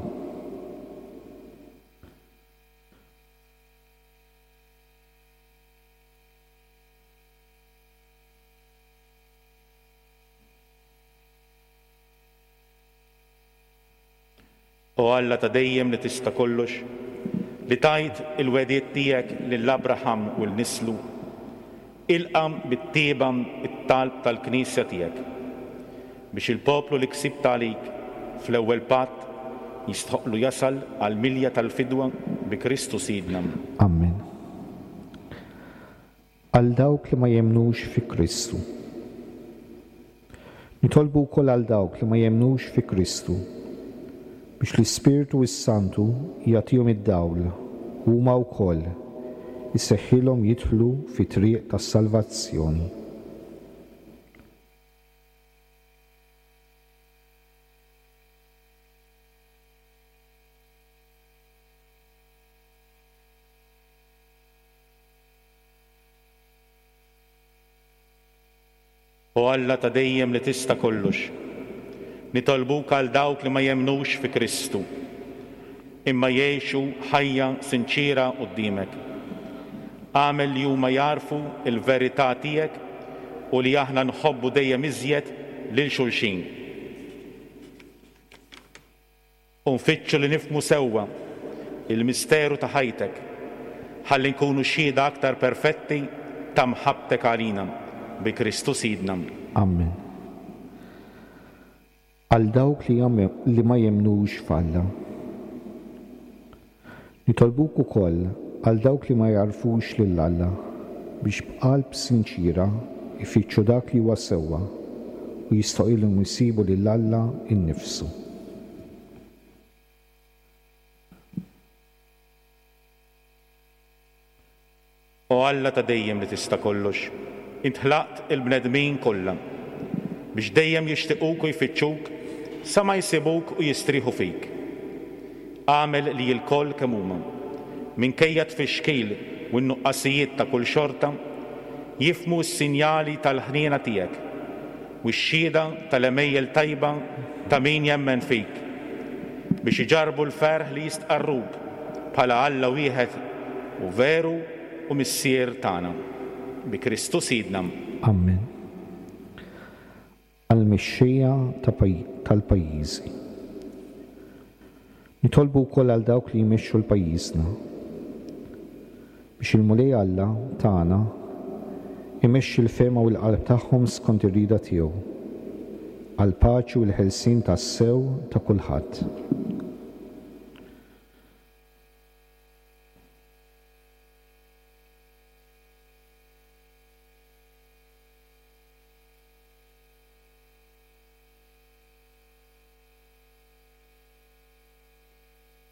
O Alla ta' dejjem li tista' kollox, li tajt il-wegħdiet tiegħek lil Abraham u 'l nislu, ilqa' bit-tjieba t-talb tal-Knisja tiegħek, biex il-poplu li ksibt għalik fl-ewwel patt jistħoqlu jasal għall-milja tal-fidwa bi Kristu Sidna. Amen. Għal dawk li ma jemmnux fi Kristu. Nitolbu wkoll għal dawk li ma jemmnux fi Kristu, biex l-Ispirtu s-Santu jagħtihom id-dawl u huma wkoll iseħħilhom jidħlu fit-triq tas-salvazzjoni. O Alla ta' dejjem li tista' kollox, nitolbuk għal dawk li ma jemmnux fi Kristu, imma jgħixu ħajja sinċiera quddiemek. Agħmel li huma jagħrfu l-verità tiegħek u li aħna nħobbu dejjem iżjed lil xulxin. U nfittxu li nifhmu sewwa il-misteru ta' ħajtek, ħalli nkunu xhieda aktar perfetti ta' mħabbtek għalina, bi Kristu Sidna. Amen. Għal dawk li jam-, li ma jemmnux f'Alla. Nitolbuk ukoll għal dawk li ma jagħrfux lil Alla, biex b'qalb sinċira jfittxu dak li huwa sewwa u jistoqilhom isibu lil Alla innifsu. O Alla ta' dejjem li tista' kollox, int ħlaqt il-bnedmin kollha biex dejjem jixtiquk u jfittxuk sa ma jsibuk u jistrieħu fik. Agħmel li l-koll kemm huma, minkejja tfixkil u n-nuqqasijiet ta' kull xorta, jifhmu s-sinjali tal-ħniena tiegħek u x-xhieda tal-għemejjel tajba ta' min jemmen fik, biex iġarrbu l-ferħ li jistqarruk bħala Alla wieħed u veru u Missier tagħna. Bi Kristu Sidna. Amen. Għall-mexxejja ta' paj-, tal-pajjiżi. Nitolbu wkoll għal dawk li jmexxu l-pajjiżna, biex il-Mulej Alla tagħna imexxi l-fehma u l-qalb tagħhom skont ir-rieda tiegħu, għall-paċi u l-ħelsien tas-sew ta' kulħadd.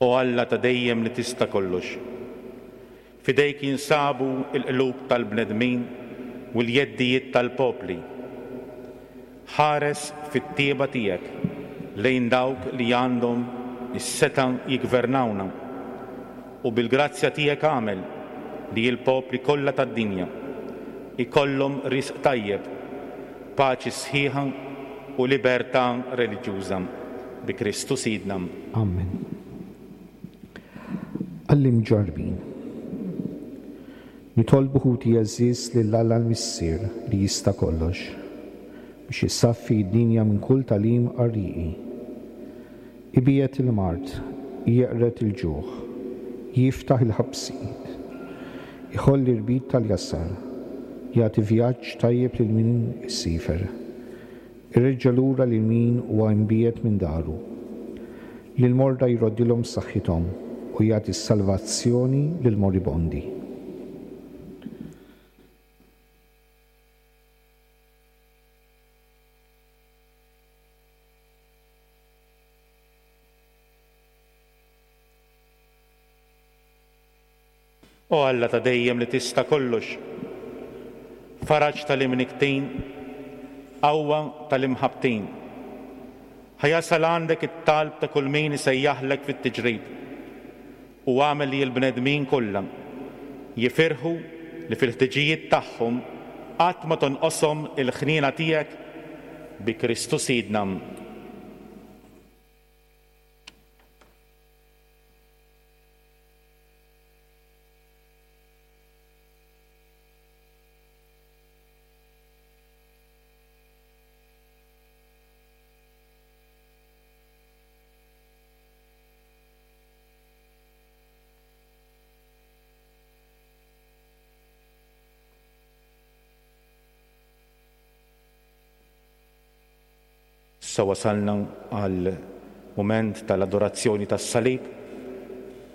O Alla ta' dejjem li tista' kollox, fidejk jinsabu l-qlub tal-bnedmin u l-jeddijiet tal-popli. Ħares fit-tieba tiegħek lejn dawk li għandhom is-seta' jiggvernawna, u bil-grazzja tiegħek agħmel li l-popli kollha tad-dinja ikollhom risq tajjeb, paċi sħiħa u libertà reliġjuża. Bi Kristu Sidna. Amen. Għall-imġarrbin. Nitolbu ħuti għeżież lil Alla l-Missier li jista' kollox, biex isaffi d-dinja minn kull tagħlim qarrieqi. Ibiegħed il-mard, jeqred il-ġuħ, jiftaħ il-ħabsijiet, iħoll l-irbit tal-jasar, jagħti vjaġġ tajjeb lil min isifer, ireġġa' lura lil min huwa imbiegħed minn daru, lil morda jroddilhom saħħithom u jagħti s-salvazzjoni lil moribondi. O Alla ta' dejjem li tista' kollox, faraġ tal-imniktin, qawwa tal-imħabbtin, ħa jasal għandek it-talb ta' kull min isejjaħlek fit-tiġrib, u għamel li l-bnedmin kollha jifirħu li fil-ħtiġijiet tagħhom qatt ma tonqoshom il-ħniena tiegħek bi Kristu Sidna. Issa wasalna għal mument tal-adorazzjoni tas-salib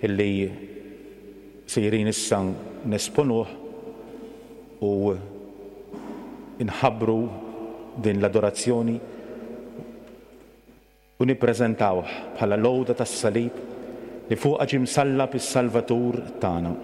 illi sejrin issa nesponuh u nħabbru din l-adorazzjoni u nippreżentawh bħala l-għuda tas-salib li fuqha ġie msallab is-Salvatur tagħna.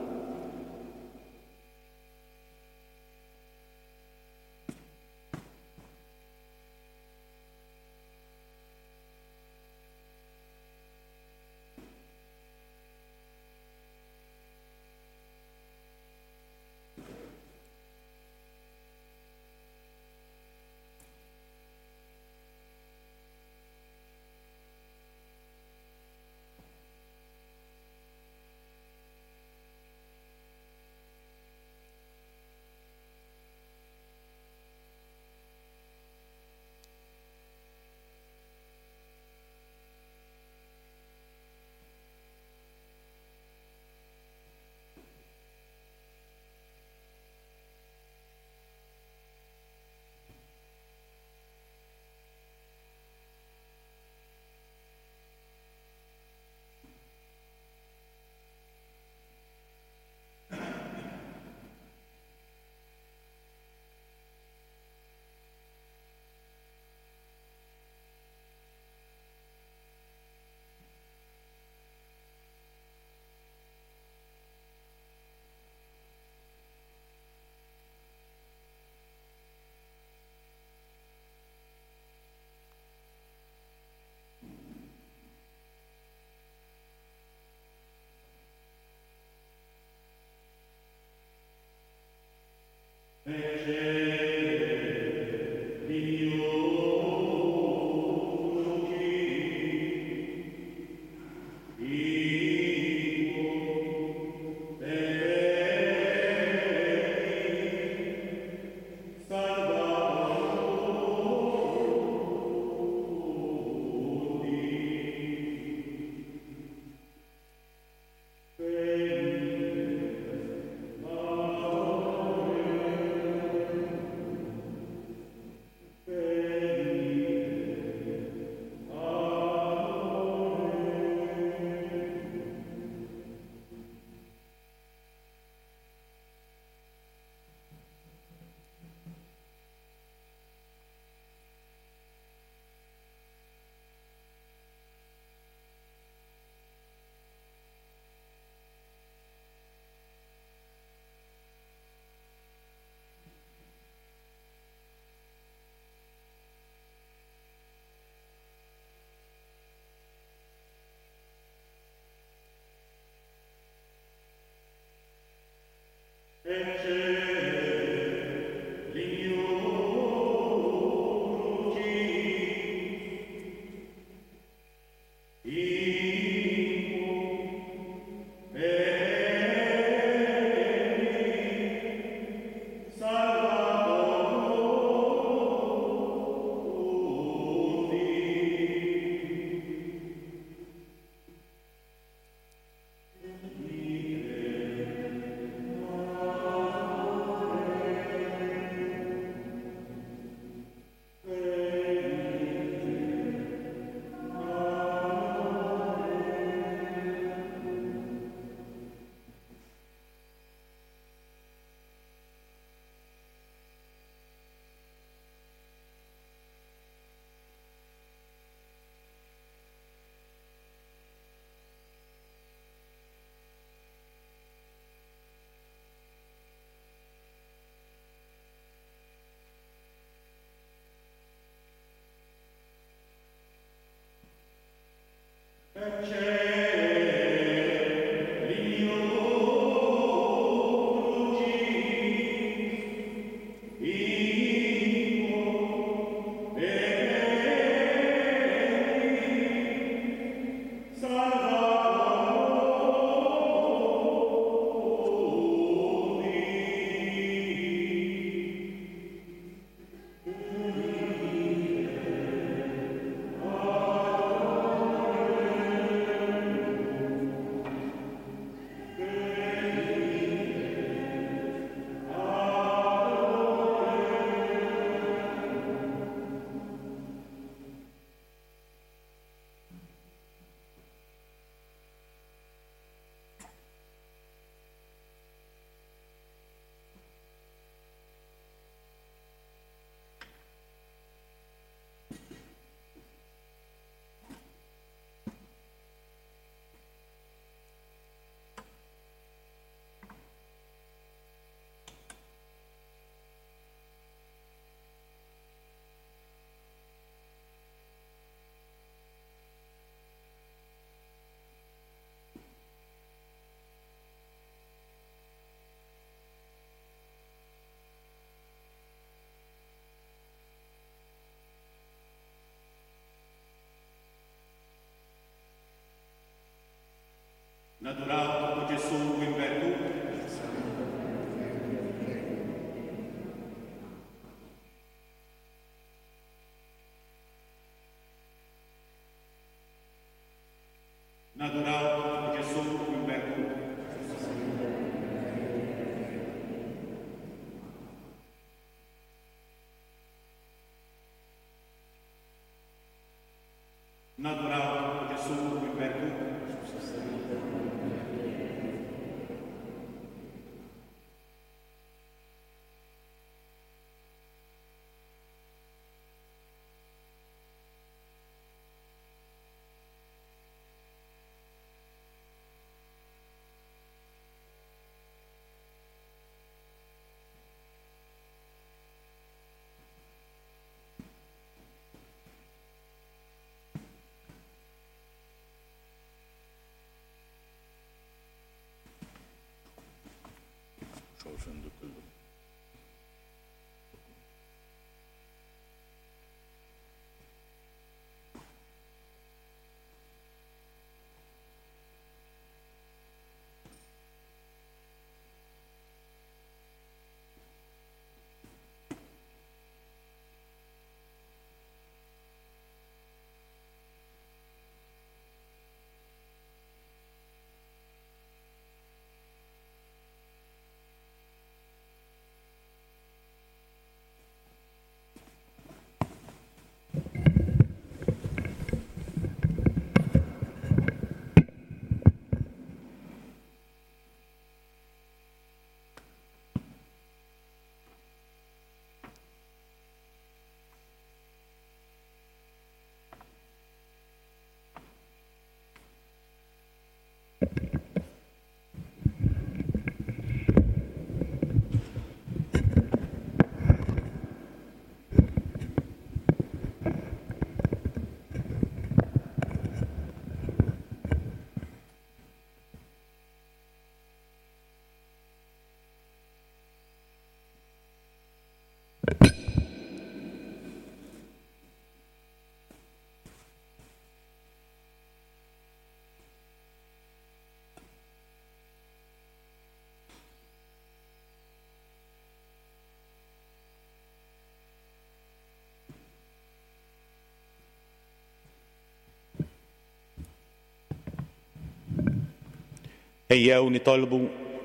Ejjew nitolbu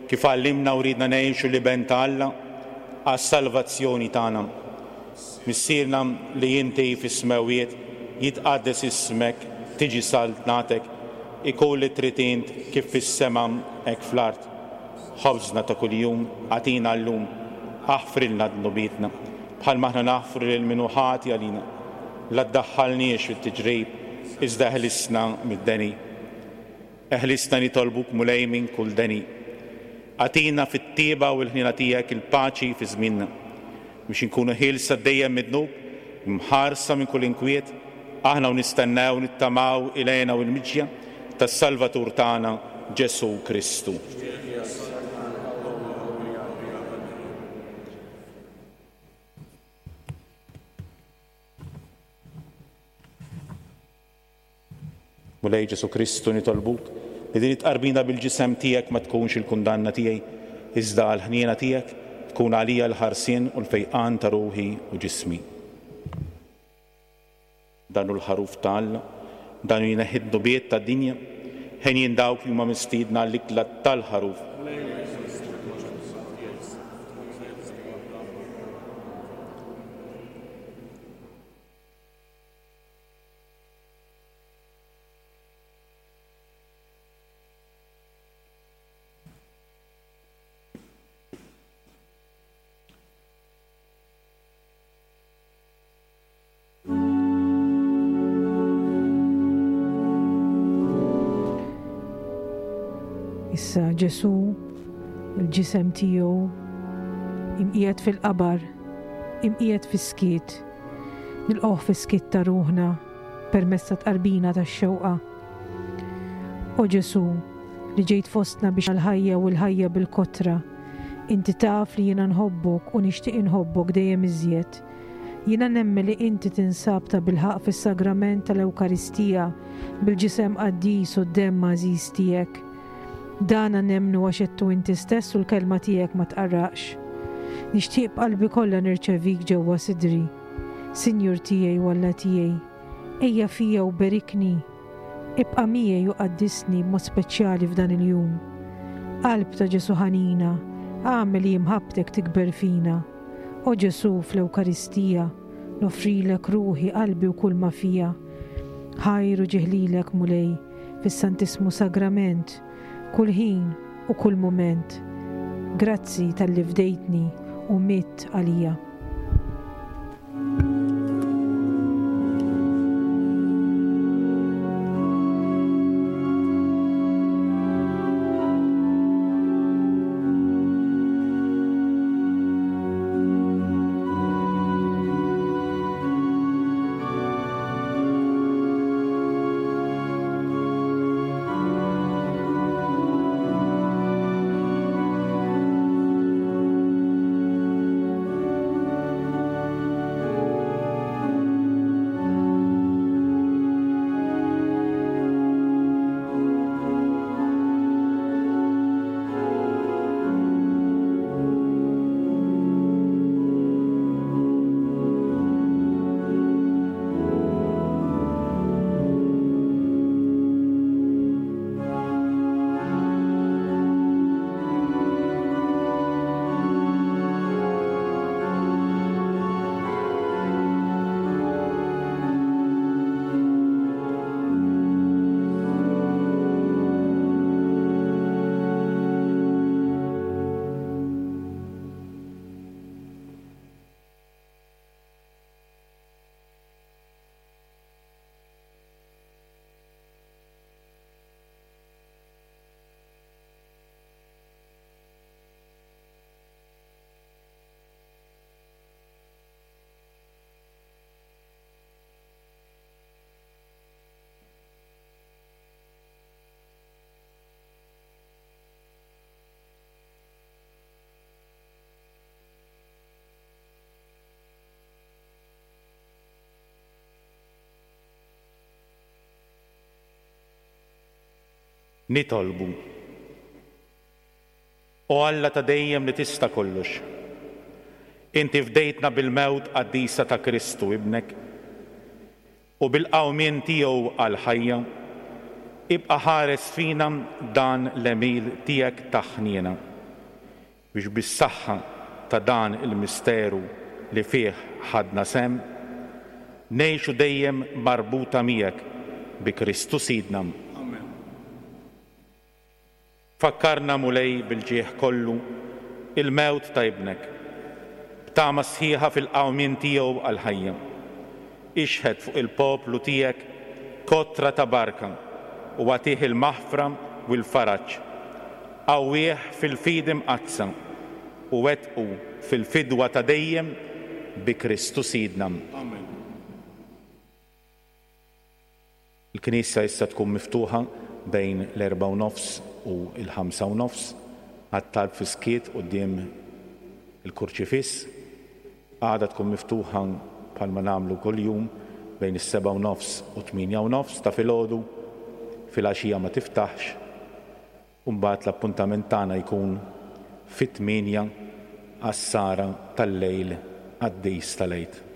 kif għallimna u ridna ngħixu l-Iben ta' Alla għas-salvazzjoni tagħna. Missierna li inti fis-smewwiet, jitqaddes ismek, tiġi saltnatek, ikun li trid int kif fis-sema hekk fl-art. Ħobżna ta' kuljum agħtina llum, aħfrilna dnubietna bħalma aħna naħfru lil min hu ħati għalina. La ddaħħalniex fit-tiġrib, iżda eħlisna mid-deni. Eħlisna nitolbuk Mulej minn kull deni. Agħtina fit-tieba u l-ħniena tiegħek il-paċi fi żmienna, biex inkunu ħielsa dejjem mid-dnub, mħarsa minn kull inkwiet, aħna u nistennew nittamaw il-hena u l-miġja tas-Salvatur tagħna Ġesù Kristu. Mulej Ġesù Kristu nitolbuk li din it-tqarbina bil-ġisem tiegħek ma tkunx il-kundanna tiegħi, iżda għall-ħniena tiegħek tkun għalija l-ħarsien u l-fejqan ta' ruħi u ġismi. Dan hu l-ħaruf ta' Alla, dan hu jneħħi d-dnubiet tad-dinja, ħenjin dawk li huma mistiedna għall-ikla tal-ħaruf. Issa Ġesù, il-ġisem tiegħu imqiegħed fil-qabar, imqiegħed fis-skiet, nilqgħuh fis-skiet ta' ruħna permezz ta' tqarbina tax-xewqa. O Ġesù, li ġejt fostna biex għall-ħajja u l-ħajja bil-kotra, inti taf li jiena nħobbok u nixtieq inħobbok dejjem iżjed. Jiena nemmen li inti tinsab ta' bilħaqq fis-sagrament tal-Ewkaristija bil-ġisem qaddis u d-demm għażiż tiegħek. Dana nemmnu għax għedtu inti stess u l-kelma tiegħek ma tqarraqx. Nixtieq b'qalbi kollha nirċevik ġewwa sidri. Sinjur tiegħi u Alla tiegħi, ejja fija u berikni. Ibqa' miegħi u qaddisni b'mod speċjali f'dan il-jum. Qalb ta' Ġesù ħanina, agħmel li imħabbtek tikber fina. O Ġesù fl-Ewkaristija, noffrilek ruħi, qalbi u kull ma fija. Ħajr u ġieħ lilek Mulej fis-Santissmu Sagrament, kull ħin u kull mument. Grazzi talli fdejtni u mitt għalija. Nitolbu. O Alla ta' dejjem li tista' kollox, inti fdejtna bil-mewt qaddisa ta' Kristu ibnek u bil-qawmien tiegħu għall-ħajja, ibqa' ħares fina dan l-għemil tiegħek ta' ħniena, biex bis-saħħa ta' dan il-misteru li fih ħadna sehem, ngħixu dejjem marbuta miegħek bi Kristu Sidna. Amen. Fakkarna, Mulej, bil-ġieħ kollu il-mewt ta' ibnek, b'tama sħiħa fil-qawmien tiegħu għall-ħajja. Ixħet fuq il-poplu tiegħek kotra ta' barka u agħtih il-maħfra u l-faraġ. Qawwih fil-fidi mqaddsa u wettqu fil-fidwa ta' dejjem bi Kristu Sidna. Amen. Il-Knisja issa tkun miftuħa bejn l-erbgħa u nofs u l-ħamsa u nofs għat-talb fis-skiet quddiem il-kurċifiss. Għada tkun miftuħa bħalma nagħmlu kuljum bejn is-sebgħa u nofs u tmienja u nofs ta' filgħodu, filgħaxija ma tiftaħx, u mbagħad l-appuntament tagħna jkun fit-tmienja għas-sara tal-lejl qaddis tal-Għid.